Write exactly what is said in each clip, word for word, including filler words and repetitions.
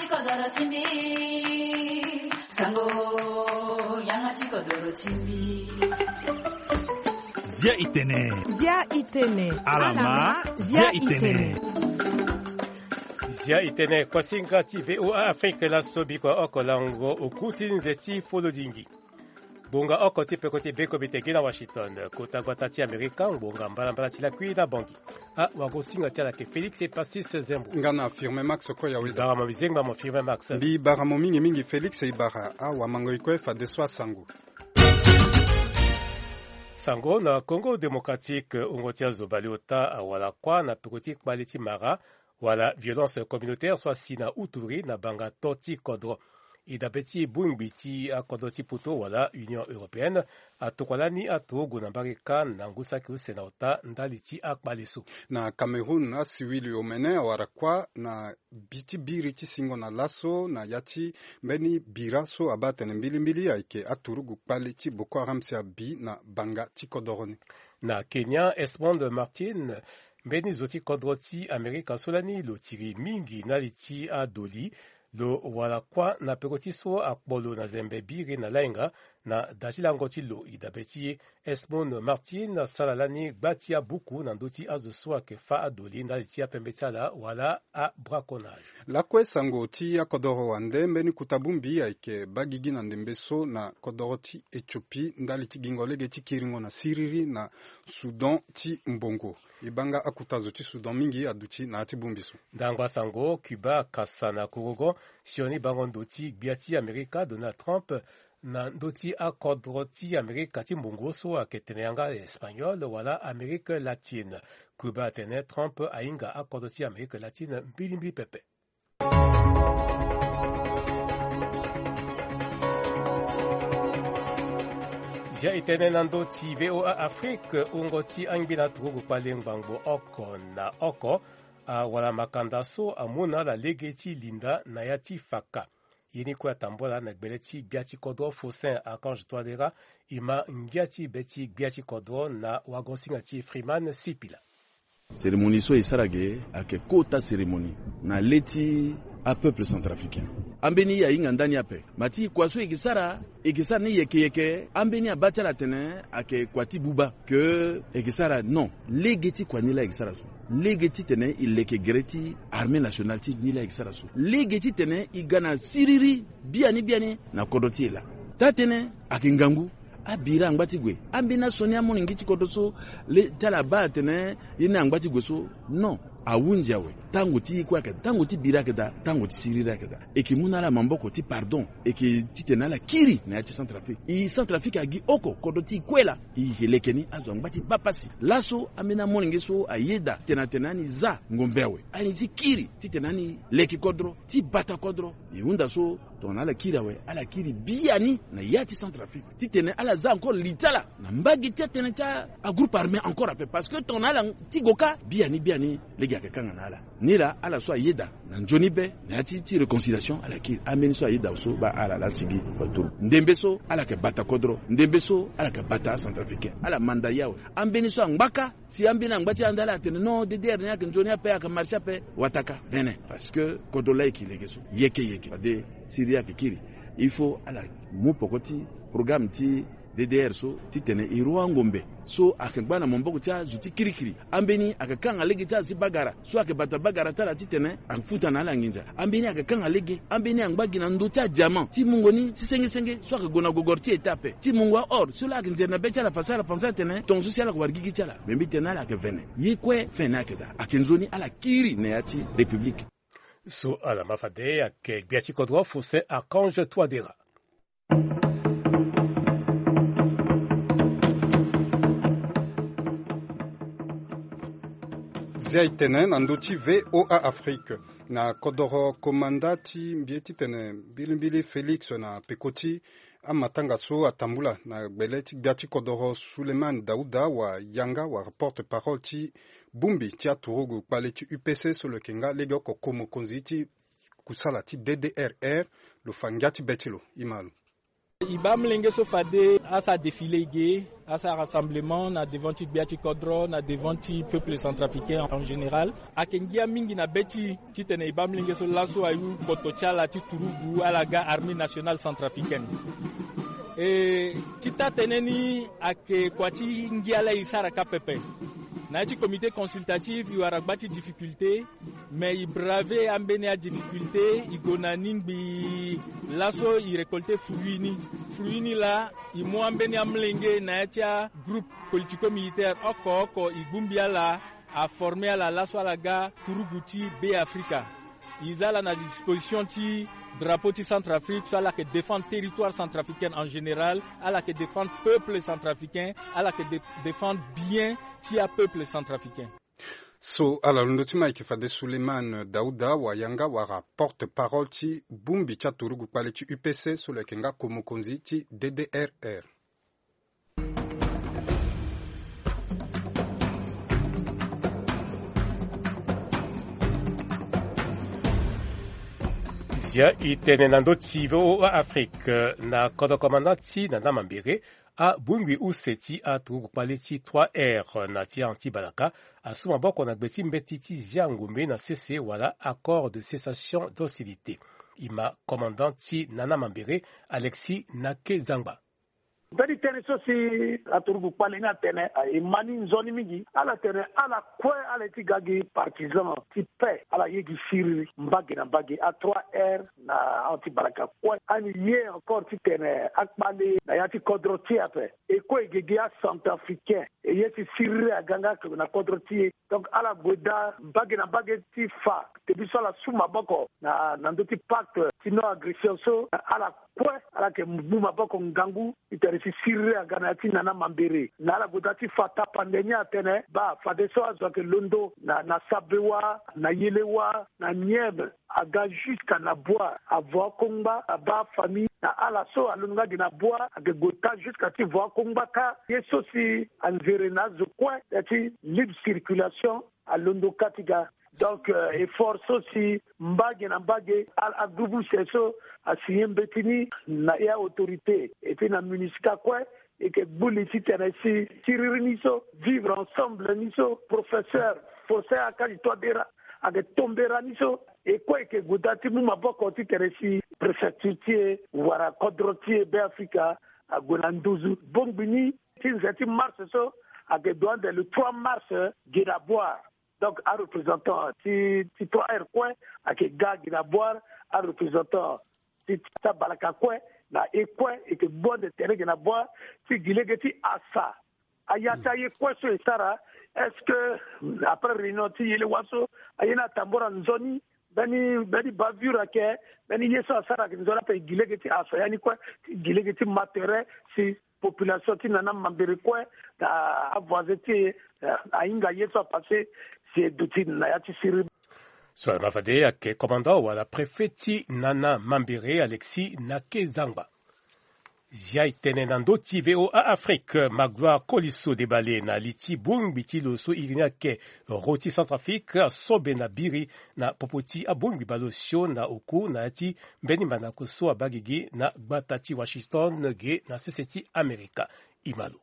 Kodoro ti mbi, sango, yanga ti kodoro ti mbi. Zia itene. Zia itene. Alama, zia itene. Zia itene, kuasinga ti V O A Afrique laso bikua oko lango oku ti nze ti folodingi. Ngbonga oko ti peko ti beko bete gi na Washington. Kota gbata ti Amerika, ngbonga mbalambala ti lakui na Bangui. A wagosinga ti ala ke Félix Epasis Zembo. Nga na Firmin Max Koya Weda. Bara mo bizengba mo Firmin Max. Mbi bara mo mingi mingi Félix Ibara. A wamango ikue fadeso asango. Sango na Congo Démocratique, wungo ti azo bale ota awara kuâ na peko ti kpale ti mara wala violence communautaire so asi na uturi na banga to ti kodro. E dabe ti bongbi ti akodro ti poto wala Union Européenne atokua lani aturugu na mbage kâ na ngu saki use na ota ndali ti akpale so. Na Cameroun, asiwili omene awara kuâ na bi ti biri ti singo na laso na ya ti mbeni bira so abaa atene mbilimbili ayeke aturugu kpale ti Boko Haram si abi na banga ti kodoro ni. Na Kenya, Esmond Martin, mbeni zo ti kodro ti Amerika so lani lo tiri mingi na li ti adoli, lo wara kuâ na peko ti so akpo lo na zembe biri na lainga na da ti lango ti lo. E dabe ti Esmond Martin asara lani gba ti abuku na ndö ti azo so ayeke fâ adoli ndali ti apembe ti ala wala abraconnage. Lakue sango ti akodoro wande, mbeni kota bongbi ayeke baa gigi na ndembe so na kodoro ti Éthiopie ndali ti gingo lege ti kiringo na siriri na Soudan ti mbongo. E baa nga akota zo ti Soudan mingi aduti na ya ti bongbi so. Ndangba sango, Cuba akasa na korogo sioni bango ndo ti gbia ti Amerika Donald Trump na ndö ti akodro ti Amerika ti mbongo so ayeke tene yanga Espagnol wala Amérique latine. Cuba atene Trump ahinga akodro ti Amérique latine mbilimbili pepe. Zia e tene na ndö ti V O A Afrique, wungo ti angbi na turugu kpale ngbangbo oko na oko awara makanda so amu na ala lege ti linda na ya ti faka. Ye ni kue atambula na gbele ti gbia ti kodro Faustin Archange Touadéra, e ma ngia ti be ti gbia ti kodro na wagosinga ti Freeman Sipila. Cérémonie so e sara ge ayeke kota cérémonie na le ti apeuple centrafricain. Ambeni e ahinga ndani ape. Ma ti kua so e ke sara, e ke sara ni yeke yeke, ambeni abaa ti ala atene ayeke kua ti buba. Ke e ke sara non. Lege ti kua ni laa e ke sara so. Lege titene e leke gere ti armée nationale ti ni laa e ke sara so. Lege titene e ga na siriri biani biani na kodro ti e laa. Taa-tënë ayeke ngangu. Abira angba ti gue. Ambeni asioni amolenge ti kodro so le ti ala abaa atene ye ni angba ti gue so. Non. Ahunzi awe. Tango ti ye kue ayeke daa, tango ti bira ayeke daa, tango ti siriri ayeke daa. E ke mu na ala maboko ti pardon. E ke titene ala kiri na ya ti Centrafrique. E Centrafrique agi oko, kodro ti e kue laa. E yeke leke ni azo angba ti baa pasi. Laso ambeni amolenge so ayeda tene atene ani za ngombe awe, ani ti kiri titene ani leke kodro ti bata kodro. E hunda so tongana ala kiri awe, ala kiri biani na ya ti Centrafrique titene ala za encore li ti ala na mbage ti atënë ti agroupe armé encore ape. Parce que tongana ala ti go kâ, biani biani lege ayeke kanga na ala. Ni laa ala so ayeda na nzoni be na ya ti, ti réconciliation, ala kiri. Ambeni so ayeda so baa ala laa sigi. Ndembe so ala yeke bata kodro, ndembe so ala yeke bata acentrafricain. Ala manda ye awe. Ambeni so angba kâ, si ambeni angba ti anda ala atene non, D D R ni ayeke nzoni ape, ayeke marché ape, wataka vene. Parce que kodro laa e yeke lege so, yeke yeke fade siriri ayeke kiri. Il faut ala mu poko ti programme ti D D R so titene e rua angombe so ayeke ngba na maboko ti azo ti kirikiri. Ambeni ayeke kanga lege ti azo ti bagara so ayeke bata bagara ti ala titene afuta na ala nginza. Ambeni ayeke kanga lege, ambeni angba gi na ndö ti adiamant ti mungo ni ti senge senge so ayeke gue na gogoro ti eta ape, ti mungo a-or so laa ayeke nzere na be ti ala, parce que ala pense atene tongaso si ala yeke wara gigi ti ala. Me mbi tene na ala ayeke vene. Ye kue vene ayeke daa, ayeke nzoni ala kiri na ya ti République. So ala ma fade ayeke gbia ti kodro Faustin Archange Touadéra. Zia e tene na ndö ti V O A Afrique. Na kodoro komanda ti mbi ye titene mbilimbili Félix na peko ti amatanga so atambula na gbele ti gbia ti kodoro Souleymane Daouda wa yanga wala porte-parole ti bongbi ti aturugu kpale ti U P C so lo yeke nga legeoko ko mokonzi ti kusala ti D D R R, lo fa ngia ti be ti lo. E ma lo. E baa amolenge so fade asara défilé e ge, asara rassemblement na devant ti gbia ti kodro, na devant ti peuple centrafricain en général. Ayeke ngia mingi na be ti titene e baa amolenge so laso ayu koto ti ala ti turugu, ala ga armée nationale centrafricaine. E ti taa tënë ni ayeke kua ti ngia laa e sara kâ pepe. Na ya ti comité consultatif e wara gba ti difficulté, mais e braver ambeni adifficulté, e gue na ni ngbii. Laso e récolter fruit ni. Fruit ni laa e mu ambeni amolenge na ya ti agroupe politico-militaire oko oko, e bongbi ala, aformer ala laso ala ga turugu ti Beafrika. E za ala na disposition ti drapeau ti Centrafrique so ala yeke défendre territoire centrafricain en général, ala yeke défendre peuple centrafricain, ala yeke dé- défendre bien ti apeuple centrafricain. So ala londo ti ma ayeke fade Suleiman Dauda Wayanga wala porte-parole ti bongbi ti aturugu kpale ti U P C so lo yeke nga ko mokonzi ti D D R R. Zia e tene na ndö ti V O A Afrique, na kodro komanda ti Nana Mambere, abongbi use ti aturugu kpale ti trois R na ti anti-balaka asu maboko na gbe ti mbeti ti zia ngombe na sese wala accord de cessation d'hostilité. E ma commandant ti Nana Mambere, Alexis Nake Zangba. Mbeni tënë so si aturugu kpale ni atene, e ma ni nzoni mingi. Ala tene ala kue ala ye ti ga gi partisan ti paix, ala ye gi siriri mbage na mbage. A trois R na anti-balaka kue ani ye encore titene akpale na ya ti kodro ti e ape. E kue e ge gi acentrafricain, e ye si siriri aga nga na kodro ti e. Donc ala gue daa mbage na mbage ti fa tënë so ala su maboko na, na ndö ti pacte ti non-agression so. Ala kue ala yeke mu maboko ngangu titene si siriri aga na ya ti Nana Mambere. Na ala gue daa ti fa tapande ni atene baa fadeso azo ayeke londo na, na Sabewa, na Yelewa, na Nieme, aga jusqu'à na Bouar, avo akongba, abaa afamille. Na ala so alondo nga gi na Bouar ayeke gue taa jusqu'à ti vo akongba kâ. Ye so si anzere na azo kue ya ti libre circulation alondo kâ ti ga. Donc, euh, effort so si mbage na mbage, a, agroupe use so asigné mbeti ni na e autorité, et puis na MINUSCA kue, e yeke gbu li titene si siriri ni so, vivre ensemble ni so, professeur Faustin Archange Touadéra ayeke tombera ni so, e kue e yeke gue daa ti mu maboko titene si préfecture ti e wala kodro ti e Beafrika ague na nduzu. Bongbi ni ti nze ti mars so ayeke doit ande le trois mars, euh, gi na Bouar. Donc areprésentant ti, ti trois R kue ayeke ga gi na Bouar, areprésentant ti, ti abalaka kue na e kue e yeke gbu ande tere gi na Bouar ti gi lege ti asa aya ti aye kue so e sara. Est-ce que après réunion ti Yelewa so, aye ni atambora nzoni? Mbeni, mbeni bavure ayeke, mbeni ye so asara ayeke nzoni ape, e gi lege ti asa ya ni kue, ti gi lege ti ma tere si population ti Nana Mambere kue na avoisin ti e, eh, ahinga ye so apassé si e duti na ya ti siriri. So ala ma fade ayeke commandant wala préfet ti Nana Mambere, Alexis Nake Zangba. Zia e tene na ndö ti V O A Afrique, Magloire Koliso Debale na li ti bongbi ti lo so iri ni ayeke ro ti Centrafrique asobe na biri na popo ti abongbi baleosio na oku na ya ti mbeni mandako so abaa gigi na gbata ti Washington ge na sese ti Amerika. E ma lo.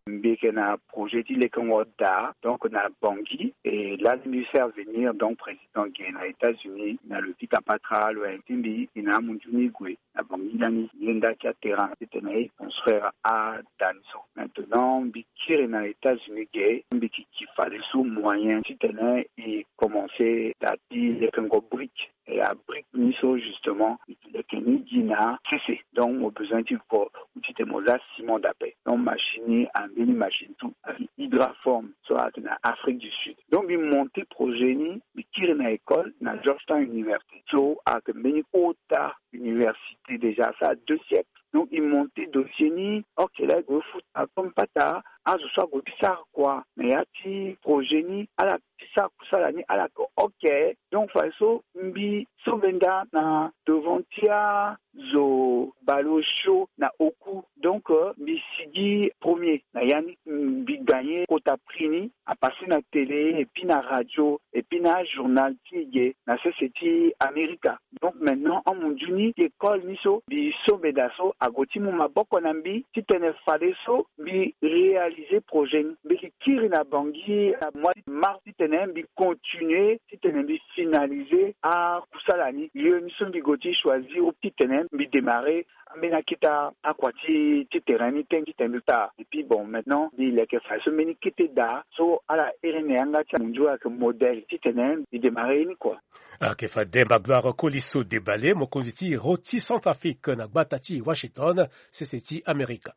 Mbi yeke na projet ti lekengo daa, donc na Bangui, et là mbi faire venir donc président ge na États-Unis na lo ti kapatra lo, ti mbi e na amunzu ni gue na Bangui lani, ye nda ti aterrain titene e construire ada ni so. Maintenant mbi kiri na États-Unis ge, mbi yeke ki fadeso moyen titene e commencer daa ti lekengo brique. Et abrique ni so justement, e yeke ni gi na sese. Donc mo besoin ti ko, ou titene mo za ciment d'appel. Donc machine ni, ambeni machine tout, ayeke Hydraform so ayeke na Afrique du Sud. Donc mbi monter projet ni, mbi kiri na école na Georgetown University so ayeke mbeni kota université déjà, ça a deux siècles. Donc e monter dossier ni, ok, laa e gue futa comme pata, azo so ague ti sara kua na ya ti projet ni, ala ti sara kusala ni, ala yeke ok. Donc fadeso mbi sobe nda na devant ti azo baleosio na oku. Donc, euh, mbi sigi premier na ya ni, mbi gagner kota prix ni, apassé na télé et puis na radio et puis na journal ti e ge na sese ti Amerika. Donc maintenant amundu ni ti école ni so mbi sombe daa so ague ti mu maboko na mbi titene fade so mbi réaliser projet ni. Mbi yeke kiri na Bangui na mois de mars titene mbi continuer titene mbi finaliser akusala ni. Lieu ni so mbi gue ti choisir titene mbi démarrer ambeni akete akua ti ti terrain ni ten titene mbi taa. Et puis bon, maintenant mbi leke fade so mbeni kete daa so ala iri na yanga ti amundu ayeke modèle titene mbi démarrer ye ni kua. Ayeke fade Demba Gloire Koliso Debale, mokonzi ti Roti Centrafrique na gbata ti Washington, sese ti Amerika.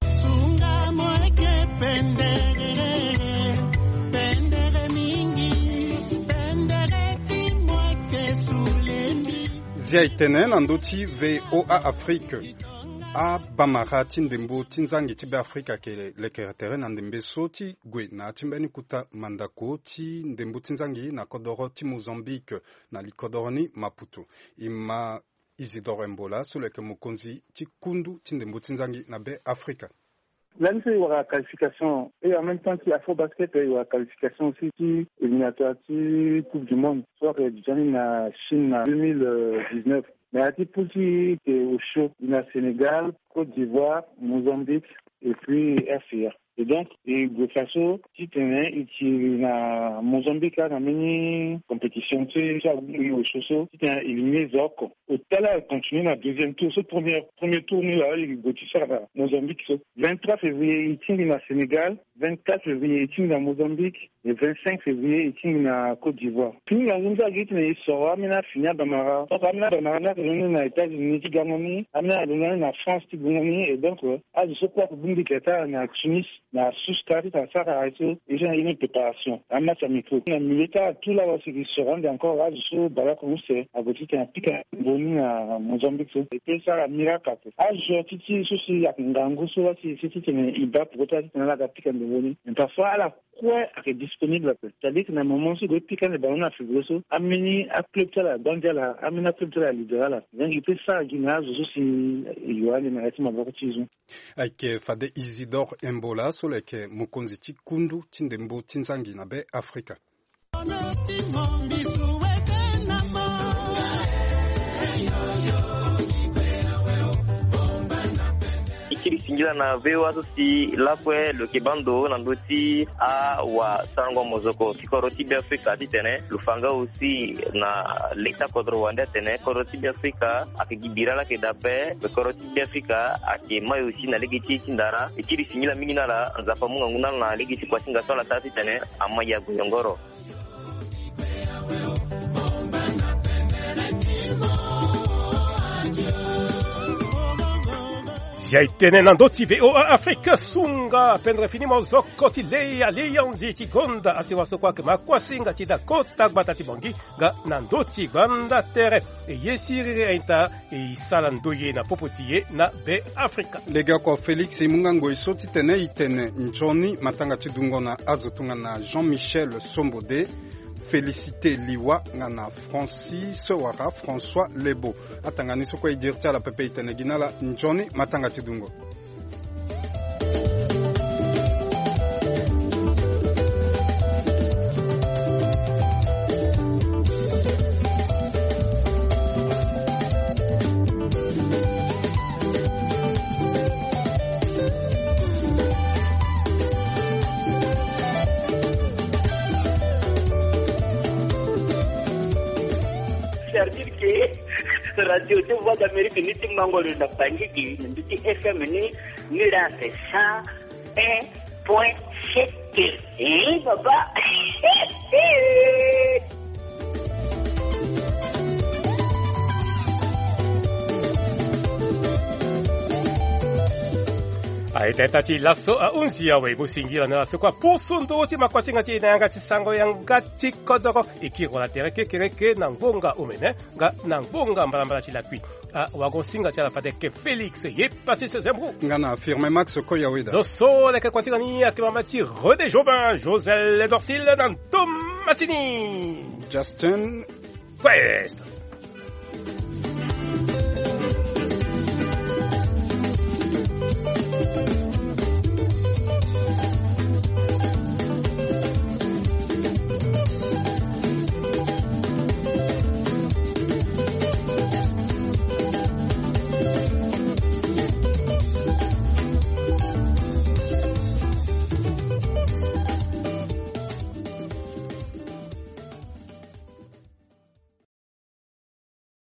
Sunga mo yeke pendere, pendere mingi, pendere ti mo yeke sulembi. Zia e tene na ndö ti V O A Afrique. Abamara ti ndembo ti nzangi ti Beafrika ayeke lekere tere na ndembe so ti gue na ya ti mbeni kota mandako ti ndembo ti nzangi na kodoro ti Mozambique, na likodoro ni Maputo. E ma Isidore Mbola so lo yeke mokonzi ti kundu ti ndembo ti nzangi na Beafrika. Lani so e wara qualification, et en même temps ti Afrobasket, e wara qualification aussi ti éliminatoire ti Coupe du Monde so ayeke duti ni na Chine na deux mille dix-neuf. Mais ya ti poule ti e, e osio, e na Sénégal, Côte d'Ivoire, Mozambique et puis R C A. Et donc e gue fa so titene e tiri na Mozambique laa na mbeni compétition ti so ague e osio so titene e éliminer zo oko. Au total e continue na deuxième tour so, premier, premier tour ni laa e gue ti sara na Mozambique so. Vingt-trois février e tingbi na Sénégal, vingt-quatre février e tingbi na Mozambique, le vingt-cinq février e tingbi na Côte d'Ivoire. Fini na ngu so agi titene e soro ambeni afini abamara. Donc ambeni abamara ni ayeke londo ni na États-Unis ti gango ni, ambeni ayeke londo ni na France ti gango ni. Et donc azo so kue ayeke bongbi tere ti ala na Tunis, na Sousse, kâ titene asara aye so e so na ye ni préparation. Amatch amicaux na milieu ti ala tout laa, wala si e soro ande encore azo so baleoko use ague titene apika ndembo ni na Mozambique so. E peut sara miracle ape. Azo ti ti so si ayeke ngangu so wala si e si titene e baa peko ti ala titene ala ga pika ndembo ni. Mais parfois ala kue ayeke disponible ape. C'est-à-dire que na moment so e gue ti pika ande ballon na février so, ambeni aclub ti ala abandi ala, ambeni aclub ti ala alibéré ala. Donc e peut sara gi na azo so si e yo ande na ya ti maboko ti e so. Ayeke fade Isidore Embola so lo yeke mokonzi ti kundu ti ndembo ti nzangi na Beafrika. E kiri singila na V O A so si lakue lo yeke baa ndo na ndö ti awasarango mozoko ti kodro ti Beafrika titene lo fa nga aussi na le ti akodro wande atene kodro ti Beafrika ayeke gi bira laa ayeke daa ape. Kodro ti Beafrika ayeke mai aussi na lege ti e ti ndara. E kiri singila mingi na ala, Nzapa amu ngangu na ala na lege ti kua ti nga so ala sara titene amai ague yongoro. Zia e tene na ndö ti V O A Afrique, sunga pendere fini mozoko ti lei alianzi ti gonda asewa so kue ayeke ma kuasinga ti da kota gbata ti Bangui nga na ndö ti gbanda tere. E ye siriri a-ita e sara ndoye na popo ti e na Beafrika. Legeoko Félix e mu nga ngoi so titene e tene nzoni matanga ti dungo na azo tongana Jean Michel Sombode, Félicité Liwa nga na Francis wala François Lebo. Atanga ni so kue e diri ti ala pepe, e tene gi na ala nzoni matanga ti dungo. C'est-à-dire que radio de Voix d'Amérique ni ti mango lo na Bangui gi na ndö ti F M ni, ni la c'est cent un point sept. Eh, baba. Aita ita ti laso ahunzi awe, mo singila na laso kua poso ndo ti makuasinga ti e na yanga ti sango yanga ti kodoro. E kiri wala tere kekereke na ngbonga omene nga na ngbonga mbalambala ti lakui. Awagosinga ti ala fade ayeke Félix ye Pacis Zembrou nga na Firmin Max Koyaweda. Zo so leke kuasinga ni ayeke mama ti René Jobin, Josel Dorsil na Thomasini Justin Quest.